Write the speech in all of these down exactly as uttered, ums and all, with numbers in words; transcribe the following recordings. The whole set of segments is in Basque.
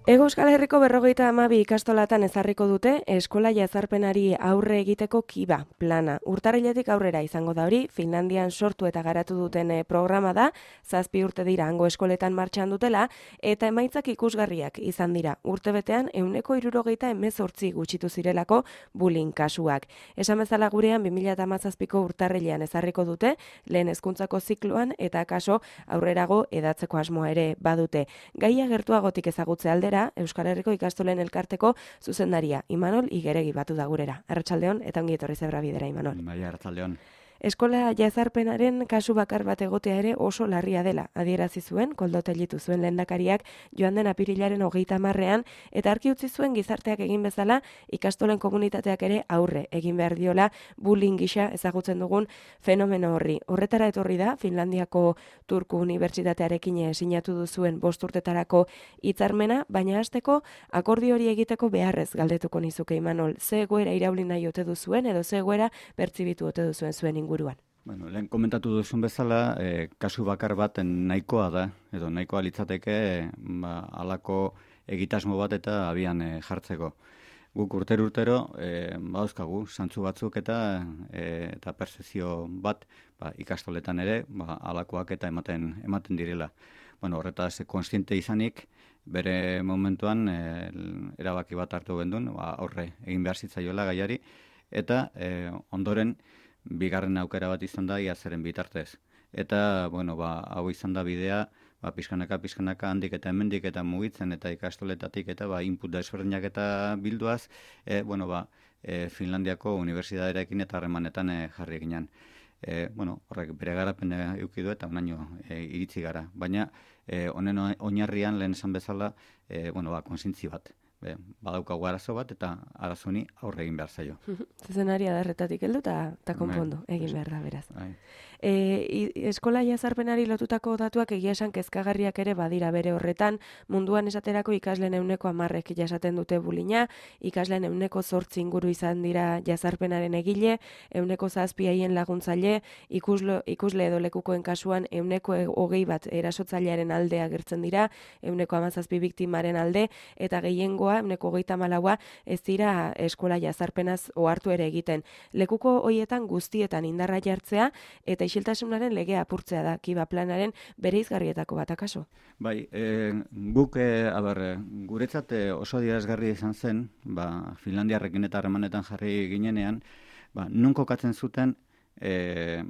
Hego Euskal Herriko berrogeita hamabi ikastolatan ezarriko dute eskola jazarpenari aurre egiteko kiba plana. Urtarriletik aurrera izango da hori, Finlandian sortu eta garatu duten programa da, zazpi urte dira hango eskoletan martxan dutela, eta emaitzak ikusgarriak izan dira. Urtebetean ehuneko hirurogeita hemezortzi gutxitu zirelako bullying kasuak. Esan bezala gurean bi mila hamazazpiko urtarrilean ezarriko dute, lehen hezkuntzako zikloan eta kaso aurrerago edatzeko asmoa ere badute. Gaia gertuagotik ezagutze aldera, Euskal Herriko ikastolen elkarteko zuzendaria Imanol Igeregi batu da gurera. Arratsaldeon eta ongi etorri Zebra Bidera, Imanol. Bai, arratsaldeon. Eskola jazarpenaren kasu bakar bat egotea ere oso larria dela, adierazi zuen, Koldo Tellitu zuen lehendakariak joan den apirilaren hogeita hamarrean, eta argi utzi zuen gizarteak egin bezala ikastolen komunitateak ere aurre egin behar diola bullying gisa ezagutzen dugun fenomeno horri. Horretara etorri da, Finlandiako Turku Unibertsitatearekin sinatu duzuen bost urtetarako hitzarmena, baina hasteko akordio hori egiteko beharrez galdetuko nizuke, Imanol, ze egoera irauli nahi ote duzuen edo ze egoera pertzibitu ote duzuen zuen inguruan. Bueno, lehen komentatu duzun bezala, eh, kasu bakar bat nahikoa da, edo nahikoa litzateke ba, alako egitasmo bat eta abian eh, jartzeko. Guk urtero urtero eh, badauzkagu zantzu batzuk eta eh, eta percepzio bat ba, ikastoletan ere ba, alakoak eta ematen ematen direla. Bueno, horretaz kontziente izanik, bere momentuan eh, erabaki bat hartu gendun, ba, aurre egin behar zitzaiola gaiari, eta eh, ondoren bigarren aukera bat izan da iazeren bitartez. Eta, bueno, ba, hau izan da bidea, ba, pizkanaka, pizkanaka, handik eta hemendik eta mugitzen eta ikastoletatik eta ba, input desberdinak eta bilduaz, e, bueno, ba, e, Finlandiako unibertsitatearekin eta harremanetan e, jarri ginen. E, bueno, horrek bere garapen eduki du eta onaino e, iritsi gara. Baina, e, honen oinarrian lehen esan bezala, e, bueno, ba, konsintzi bat. Be, badaukagu arazo bat eta arazoni aurre egin behar zaio. Zuzenari adarretatik heldu eta konpondu egin behar da beraz. Ai. E, eskola jazarpenari lotutako datuak egia esan kezkagarriak ere badira bere horretan, munduan esaterako ikasleen ehuneko hamarrek jasaten dute bulina, ikasleen ehuneko zortzi inguru izan dira jazarpenaren egile, ehuneko zazpi haien laguntzaile, ikuslo, ikusle edo lekukoen kasuan ehuneko hogei bat erasotzailearen alde agertzen dira, ehuneko hamazazpi biktimaren alde, eta gehiengoa, ehuneko hogeita hamalau ez dira eskola jazarpenaz ohartu ere egiten. Lekuko hoietan guztietan indarra jartzea eta isiltasunaren legea apurtzea da kiba planaren bereizgarrietako bat akaso. Bai, e, guk e, aber, guretzat e, oso adierazgarria izan zen, ba, Finlandiarrekin eta harremanetan jarri ginenean, ba, non kokatzen zuten e,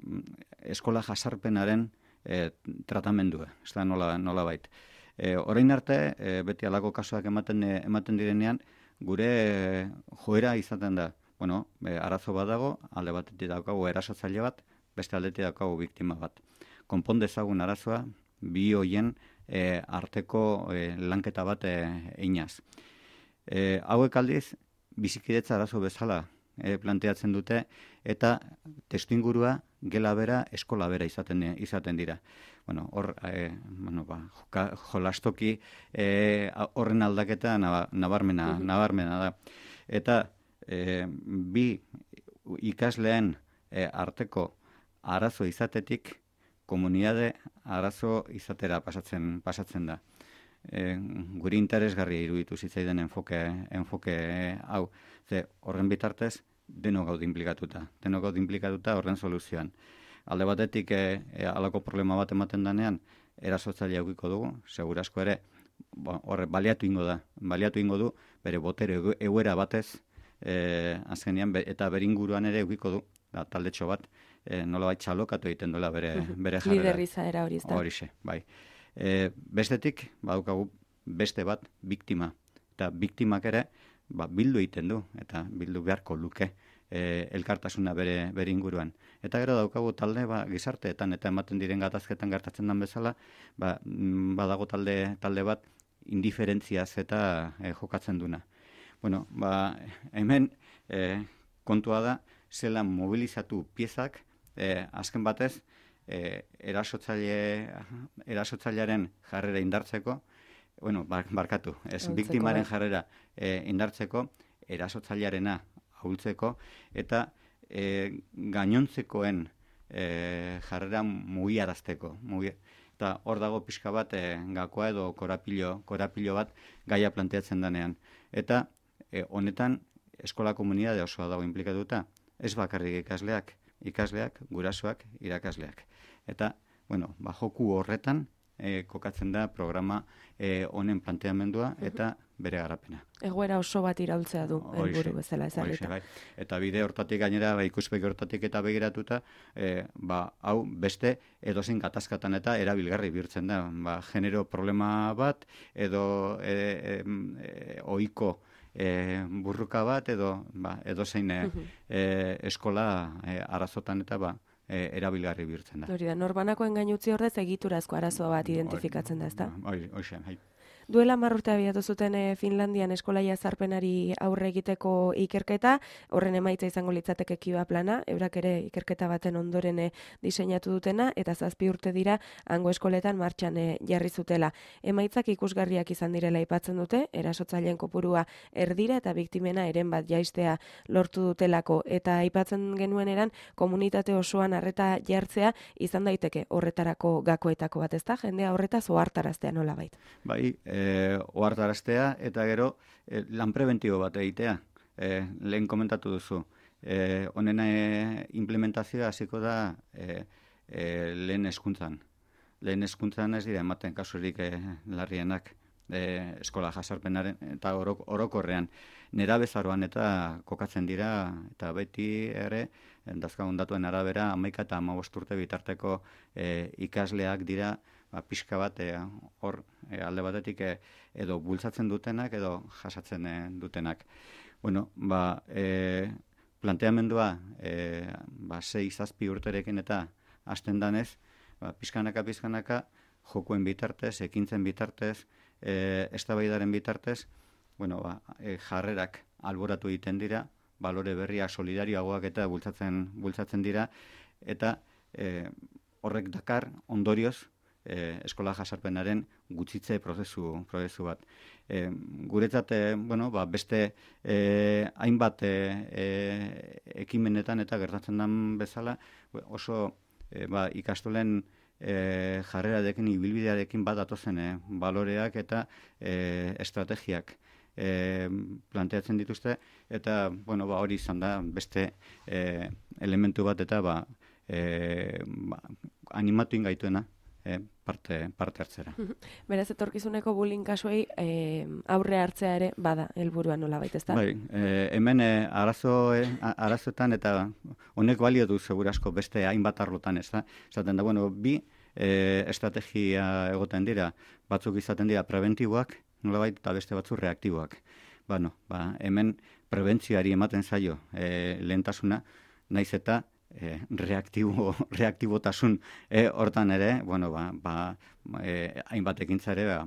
eskola jazarpenaren e, tratamendua, ez da nola, nola bait. E, orain arte, e, beti alako kasuak ematen, e, ematen direnean, gure e, joera izaten da. Bueno, e, arazo bat dago, alde batetik daukagu erasotzaile bat, beste aldetik daukagu biktima bat. Konpon dezagun arazoa, bi hoien e, arteko e, lanketa bat e, einaz. E, hauek aldiz, bizikidetza arazo bezala e, planteatzen dute, eta testuingurua gela bera, eskola bera izaten, izaten dira. Bueno, hor, e, bueno, ba, joka, jolastoki e, horren aldaketa nabarmena, uh-huh. nabarmena da. Eta e, bi ikasleen e, arteko arazo izatetik komunitate arazo izatera pasatzen pasatzen da. E, guri interesgarria iruditu zitzaidan enfoke enfoke hau. Ze horren bitartez denok gaude inplikatuta. Denok gaude inplikatuta horren soluzioan. Alde batetik e, e, alako problema bat ematen denean erasotzailea edukiko dugu, segurazko ere horre baliatu ingo da. Baliatu ingo du bere botere egoera batez e, azkenean be, eta beringuruan ere edukiko du. Da, taldetxo bat, e, nolabait txalokatu egiten duela bere, bere jarrera. Liderriza era hori izan. Horixe, bai. E, bestetik, badaukagu beste bat, biktima. Eta biktimak ere, ba, bildu egiten du, eta bildu beharko luke e, elkartasuna bere, bere inguruan. Eta gero daukagu talde, ba, gizarteetan, eta ematen diren gatazketan gertatzen den bezala, ba, badago talde, talde bat, indiferentziaz eta e, jokatzen duna. Bueno, ba, hemen e, kontua da, zela mobilizatu piezak, eh, azken batez, eh, erasotzaile, erasotzailearen jarrera indartzeko, bueno, barkatu, ez, Oltzeko, biktimaren jarrera eh, indartzeko, erasotzailearena ahultzeko, eta eh, gainontzekoen eh, jarrera mugiarazteko. Mugi, Eta hor dago pixka bat e, gakoa edo korapilo, korapilo bat gaia planteatzen denean. Eta e, honetan eskola komunitate osoa dago inplikatuta, ez bakarrik ikasleak, ikasleak, gurasoak, irakasleak. Eta, bueno, ba, joku horretan e, kokatzen da programa e, honen planteamendua eta bere garapena. Egoera oso bat iraultzea du helburu bezala ezarrita. Bai. Eta bide hortatik gainera, ba, ikuspegi hortatik eta begiratuta, e, ba, hau beste edozein gatazkatan eta erabilgarri bihurtzen da. Ba, genero problema bat edo e, e, e, ohiko e, burruka bat edo ba, edozein e, e, eskola e, arazotan eta ba, E, erabilgarri bihurtzen da. Hori da, norbanakoen gainutzi ordez egiturazko arazoa bat identifikatzen da, ezta? Hori, hori, hori. Duela hamar urte abiatu zuten e, Finlandian eskola jazarpenari aurre egiteko ikerketa, horren emaitza izango litzateke kiba plana, eurak ere ikerketa baten ondoren e, diseinatu dutena, eta zazpi urte dira hango eskoletan martxan e, jarri zutela. Emaitzak ikusgarriak izan direla aipatzen dute, erasotzaileen kopurua erdira eta biktimena eren bat jaistea lortu dutelako, eta aipatzen genuen eran komunitate osoan arreta jartzea izan daiteke horretarako gakoetako bat, ezta? Jendea horretaz ohartaraztea nolabait. Bai, E, ohartaraztea eta gero e, lan prebentibo bat egitea. E, lehen komentatu duzu. E, honen e, implementazioa hasiko da e, e, lehen hezkuntzan. Lehen hezkuntzan ez dira ematen kasurik e, larrienak e, eskola jasarpenaren eta orok, orokorrean. Nerabezaroan eta kokatzen dira eta beti ere dazkagun datuen arabera hamaika eta hamabost urte bitarteko e, ikasleak dira ba, pixka bat hor e, alde batetik e, edo bultzatzen dutenak edo jasatzen e, dutenak. Bueno, ba, e, planteamendua e, ba, sei zazpi urterekin eta hasten danez, ba, pixkanaka, pixkanaka, jokuen bitartez, ekintzen bitartez, e, eztabaidaren bitartez, bueno, ba, e, jarrerak alboratu egiten dira, balore berriak solidarioagoak eta bultzatzen, bultzatzen dira, eta e, horrek dakar ondorioz, E, eskola jasarpenaren gutxitze prozesu, prozesu bat. E, guretzat, e, bueno, ba, beste e, hainbat e, e, ekimenetan eta gertatzen den bezala, oso e, ba, ikastolen e, jarrerarekin, ibilbidearekin bat atozen e, baloreak eta e, estrategiak e, planteatzen dituzte, eta bueno, ba, hori izan da beste e, elementu bat eta ba, e, ba, animatu ingaituena. E, parte, parte hartzera. Beraz, etorkizuneko bullying kasuei e, aurre hartzea ere bada helburua nolabait, ezta? Bai, e, hemen e, arazo, e, arazoetan eta honek balio du segurasko beste hainbat arlotan, ezta? Esaten da, bueno, bi e, estrategia egoten dira, batzuk izaten dira preventiboak, nolabait, eta beste batzuk reaktiboak. Bueno, ba, hemen prebentzioari ematen zaio e, lehentasuna, naiz eta E, reaktibo, reaktibotasun e, hortan ere, bueno, ba, ba, e, hainbat ekintza ere, ba,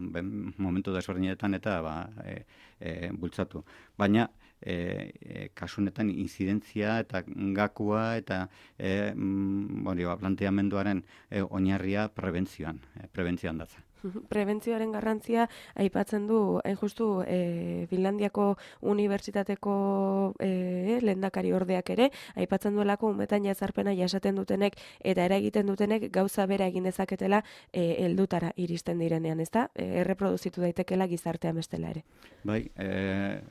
momentu desberdinetan eta ba, e, e, bultzatu. Baina, e, e, kasunetan inzidentzia eta gakua eta e, mm, bueno, ba, planteamenduaren e, oinarria prebentzioan, e, prebentzioan datza. Prebentzioaren garrantzia aipatzen du, hain justu, e, Finlandiako unibertsitateko e, lehendakari ordeak ere, aipatzen duelako umetan jazarpena jasaten dutenek eta eragiten dutenek gauza bera egin dezaketela e, heldutara iristen direnean, ezta? E, erreproduzitu daitekela gizartean bestela ere. Bai, e,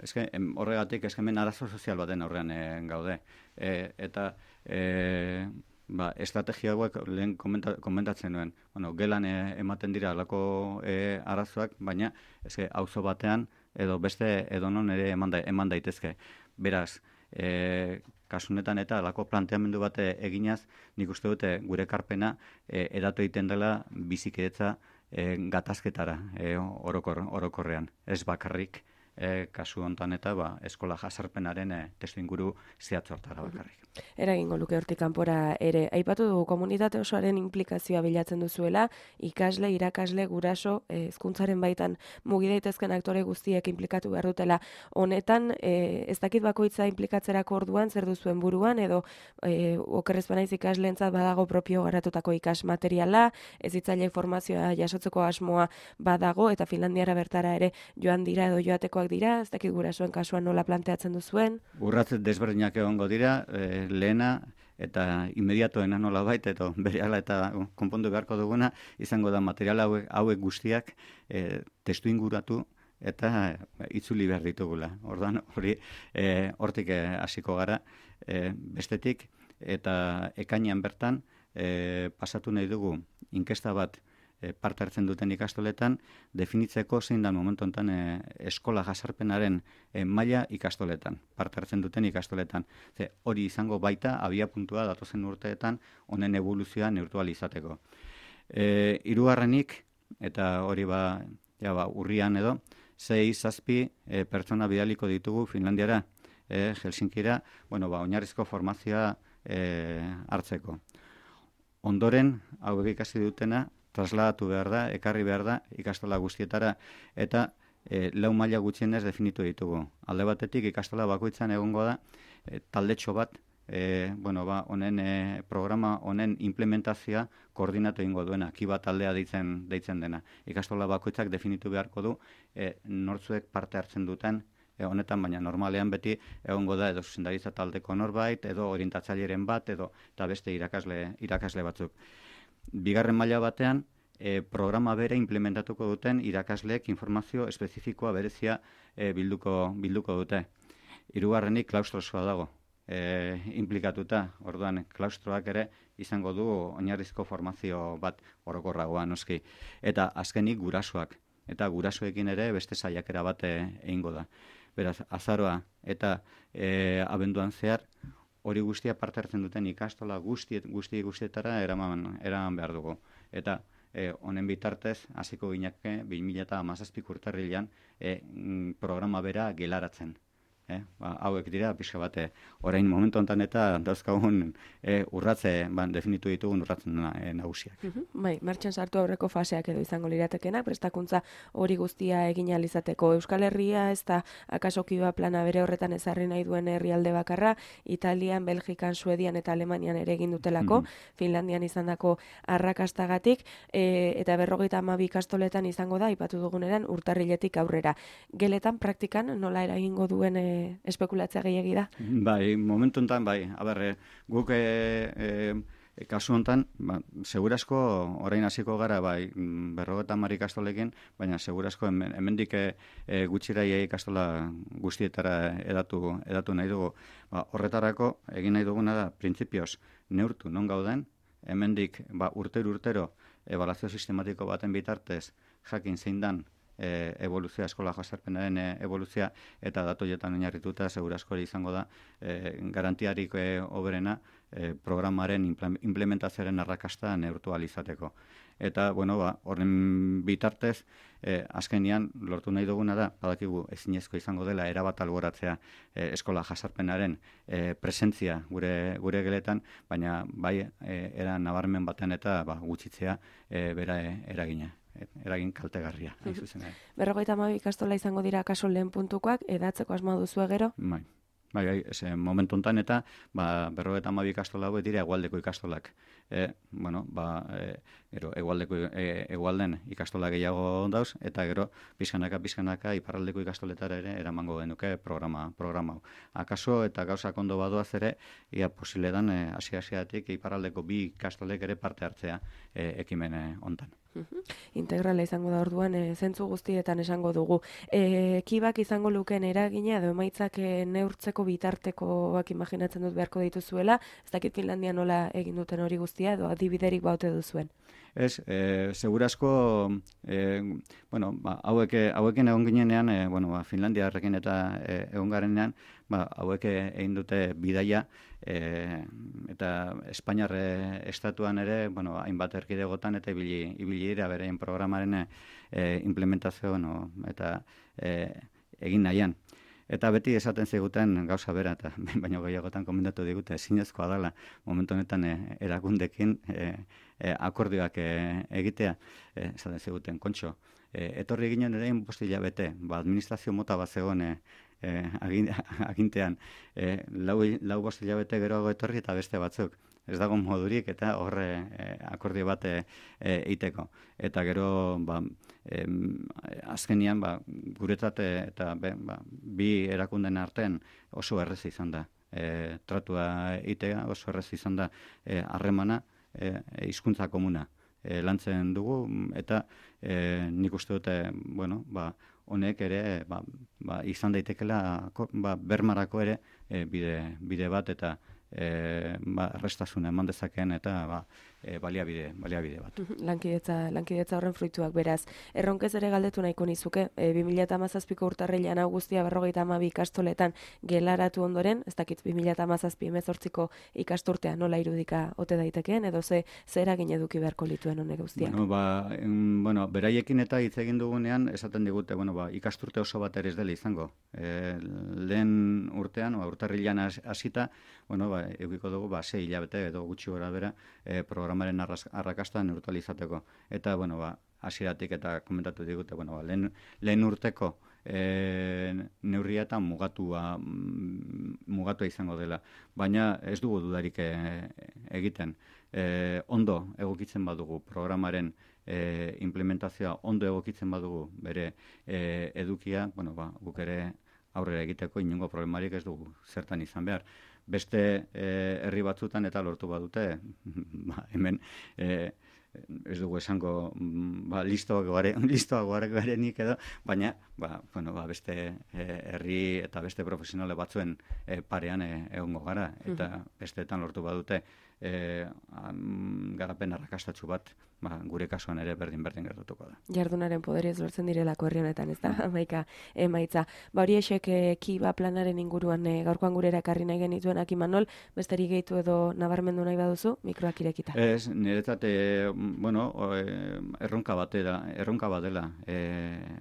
eske, em, horregatik eskemen arazo sozial baten aurrean e, gaude. E, eta e, Ba, estrategia hauek lehen komenta, komentatzen nuen. Bueno, gelan e, ematen dira alako e, arazoak, baina eske auzo batean edo beste edonon ere eman, da, eman daitezke. Beraz, e, kasunetan eta alako planteamendu bate eginaz, nik uste dute gure karpena e, edatu egiten dela bizikidetza e, gatazketara e, orokor, orokorrean. Ez bakarrik e, kasu hontan eta ba, eskola jasarpenaren e, testu inguru zehatzortara bakarrik. Eragingo luke hortik kanpora ere. Aipatu dugu komunitate osoaren implikazioa bilatzen duzuela, ikasle, irakasle, guraso, hezkuntzaren baitan mugi daitezken aktore guztiek implikatu behar dutela. Honetan, e, ez dakit bakoitza implikatzerako orduan, zer duzuen buruan, edo e, okerrez banaiz ikasleentzat badago propio garatutako ikas materiala, ez hitzaile formazioa jasotzeko asmoa badago, eta Finlandiara bertara ere joan dira edo joatekoak dira, ez dakit gurasoen kasuan nola planteatzen duzuen. Urratz desberdinak egongo dira, e, lehena eta inmediatoena nola baita, eta berehala eta konpondu beharko duguna, izango da material hauek, hauek guztiak e, testu inguratu eta itzuli behar ditugula. Orduan, hori e, hortik hasiko gara e, bestetik, eta ekainean bertan e, pasatu nahi dugu inkesta bat e, parte hartzen duten ikastoletan, definitzeko zein da momentu honetan e, eskola jasarpenaren e, maila ikastoletan, parte hartzen duten ikastoletan. Ze, hori izango baita abia puntua datozen urteetan honen evoluzioa neurtu ahal izateko. E, hirugarrenik, eta hori ba, ja, ba, urrian edo, sei zazpi e, pertsona bidaliko ditugu Finlandiara, e, Helsinkira, bueno, ba, oinarrizko formazioa e, hartzeko. Ondoren, hauek ikasi dutena, trasladatu behar da, ekarri behar da, ikastola guztietara, eta e, lau maila gutxienez definitu ditugu. Alde batetik, ikastola bakoitzan egongo da, e, taldetxo bat, E, bueno, ba, honen e, programa honen implementazioa koordinatu egingo duena, kiba taldea deitzen, deitzen dena. Ikastola bakoitzak definitu beharko du e, nortzuek parte hartzen duten e, honetan, baina normalean beti egongo da edo zuzendaritza taldeko norbait, edo orientatzaileren bat, edo eta beste irakasle, irakasle batzuk. Bigarren maila batean, e, programa bere implementatuko duten irakasleek informazio espezifikoa berezia e, bilduko, bilduko dute. Hirugarrenik klaustrosoa dago. E, implikatuta, orduan klaustroak ere izango du oinarrizko formazio bat orokorragoa noski. Eta azkenik gurasoak, eta gurasoekin ere beste saiakera bat egingo da. Beraz, azaroa eta e, abenduan zehar hori guztia parte hartzen duten ikastola guzti, guzti guztietara eraman, eraman behar dugu. Eta e, honen bitartez, hasiko gineke bi mila hamazazpi urtarrilean e, programa bera gelaratzen. Eh, ba, hauek dira, pixka bate, orain momentu honetan eta dauzkagun e, urratze, ban, definitu ditugun urratzen e, nagusiak. Uh-huh. Bai, martxan sartu aurreko faseak edo izango liratekenak, prestakuntza hori guztia egin ahal izateko. Euskal Herria ez da akaso kiba plana bere horretan ezarri nahi duen herrialde bakarra, Italian, Belgikan, Suedian eta Alemanian ere egin dutelako, uh-huh. Finlandian izandako arrakastagatik, e, eta berrogeita hamabi ikastoletan izango da, ipatu duguneran, urtarriletik aurrera. Geletan, praktikan, nola eragingo duen e, espekulatzea gehiagi da? Bai, momentu honetan, bai. Aber, guk e, e, kasu honetan, ba, segurasko orain hasiko gara, bai, berrogeta hamar ikastolekin, baina segurasko hemendik e, gutxira ikastola guztietara edatu, edatu nahi dugu. Ba, horretarako, egin nahi duguna da, printzipioz, neurtu non gauden, hemendik ba, urtero urtero ebaluazio sistematiko baten bitartez jakin zein dan E, evoluzioa, eskola jasarpenaren e, evoluzioa, eta datoietan oinarrituta segurasko izango da e, garantiarik e, oberena e, programaren implementazioaren arrakasta neurtu ahal izateko. Eta, bueno, ba, horren bitartez, e, azkenian lortu nahi duguna da, badakigu ezinezko izango dela erabat alboratzea e, eskola jasarpenaren e, presentzia gure, gure geletan, baina bai e, era nabarmen batean eta ba, gutxitzea e, bera e, eragina. eragin kaltegarria. Berrogeita hamabi ikastola izango dira kaso lehen puntukoak, edatzeko asma duzu gero? Bai, bai, bai, ese momentu honetan eta ba, berrogeita hamabi ikastola hauek dira hegoaldeko ikastolak. E, bueno, ba, e, gero, hegoaldeko e, hegoalden ikastola gehiago dauz, eta gero, pizkanaka, pizkanaka, iparraldeko ikastoletara ere eramango genuke programa, programa hau. Akaso eta gauzak ondo badoaz ere, ia posible dan, e, hasi-hasiatik iparraldeko bi ikastolek ere parte hartzea e, ekimene hontan. Uh-huh. Integrala izango da orduan, e, zentzu guztietan esango dugu. E, kibak izango lukeen eragina edo emaitzak e, neurtzeko bitartekoak imaginatzen dut beharko dituzuela, ez dakit Finlandia nola egin duten hori guztia edo adibiderik baute duzuen. Ez, e, segurasko, e, bueno, ba, hauek, hauekin egon ginenean, e, bueno, ba, Finlandiarrekin eta e, egon garenean, ba, hauek egin dute bidaia, e, eta Espainiar estatuan ere, bueno, hainbat erkidegotan eta ibili, ibili dira berein programaren e, implementazio, no, eta e, egin nahian. Eta beti esaten ziguten gauza bera, eta baino gehiagotan komendatu digute, ezinezkoa dela momentu honetan e, erakundekin e, e, akordioak e, egitea, e, esaten ziguten, kontxo, e, etorri ginen ere bost hilabete, ba, administrazio mota bat zegoen e, e, agintean, e, lau, lau bost hilabete geroago etorri eta beste batzuk. Ez dago modurik eta horre e, akordio bat eiteko. Eta gero, ba, e, azkenian, ba, guretzat eta be, ba, bi erakunden artean oso errez izan da. e, tratua itea, oso errez izan da harremana, e, hizkuntza komuna e, lantzen dugu, eta e, nik uste dute, bueno, ba, honek ere ba, ba, izan daitekela ba, bermarako ere e, bide, bide bat, eta e, ba, errestasuna eman dezakeen, eta ba, e, baliabide, baliabide bat. Lankidetza, lankidetza horren fruituak beraz. Erronkez ere galdetu nahiko nizuke, e, bi mila hamazazpiko urtarrilean hau guztia berrogeita hamabi ikastoletan gelaratu ondoren, ez dakit bi mila hamazazpi hemezortziko ikasturtea nola irudika ote daitekeen, edo ze zer eragin eduki beharko lituen honek guztiak? Bueno, ba, em, bueno, beraiekin eta hitz egin dugunean, esaten digute, bueno, ba, ikasturte oso bat ere ez dela izango. E, lehen urtean, ba, urtarrilean hasita, bueno, ba, edukiko dugu, ba, sei hilabete edo gutxi gora bera, e, programaren arrakasta neutralizateko. Eta, bueno, ba, hasieratik eta komentatu digute, bueno, ba, lehen, lehen urteko e, neurria eta mugatua, mugatua izango dela. Baina ez dugu dudarik e, egiten. E, ondo egokitzen badugu programaren e, implementazioa, ondo egokitzen badugu bere e, edukia, bueno, ba, guk ere aurrera egiteko inongo problemarik ez dugu zertan izan behar. Beste e, herri batzutan eta lortu badute, ba, hemen e, ez dugu esango ba, listoago garenik edo, baina ba, bueno, ba, beste e, herri eta beste profesionale batzuen e, parean e, egongo gara, eta besteetan lortu badute e, am, garapen arrakastatsu bat, ba, gure kasuan ere berdin-berdin gertatuko da. Jardunaren poderiez lortzen direlako herri honetan, ez da, hamaika emaitza. Ba, hori esek e, kiba planaren inguruan e, gaurkoan gurera ekarri nahi genituenak Imanol, besterik gehitu edo nabarmendu nahi baduzu, mikroak irekita. Ez, niretzat, e, bueno, erronka batera, erronka bat dela, e,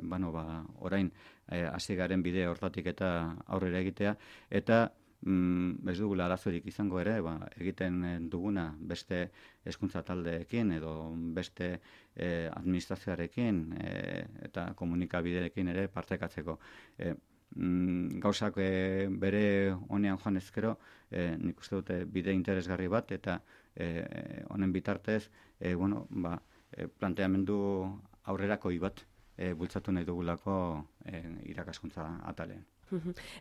bueno, ba, orain hasi e, garen bide hortatik eta aurrera egitea, eta Mm, ez dugula arazorik izango ere, ba, egiten duguna beste hezkuntza taldeekin edo beste eh, administrazioarekin eh, eta komunikabideekin ere partekatzeko. Eh, mm, gauzak eh, bere honean joan ezkero, eh, nik uste dute bide interesgarri bat, eta eh, honen bitartez, eh, bueno, ba, eh, planteamendu aurrerakoi bat eh, bultzatu nahi dugulako eh, irakaskuntza atalean.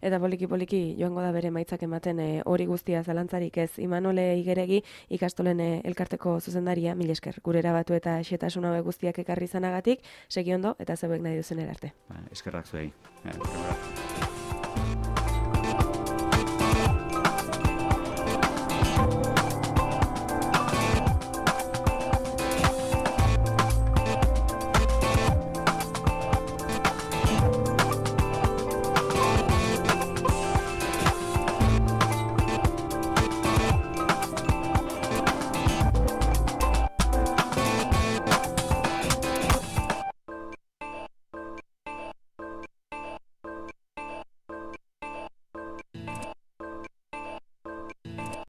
Eta poliki-poliki joango da bere maitzak ematen hori e, guztia zalantzarik ez. Imanole Igeregi ikastolen e, elkarteko zuzendaria, mil esker, gure erabatu eta xetasun hauek guztiak ekarri izanagatik, segi ondo eta zeuek nahi duzen erarte. Ba, eskerrak zuei.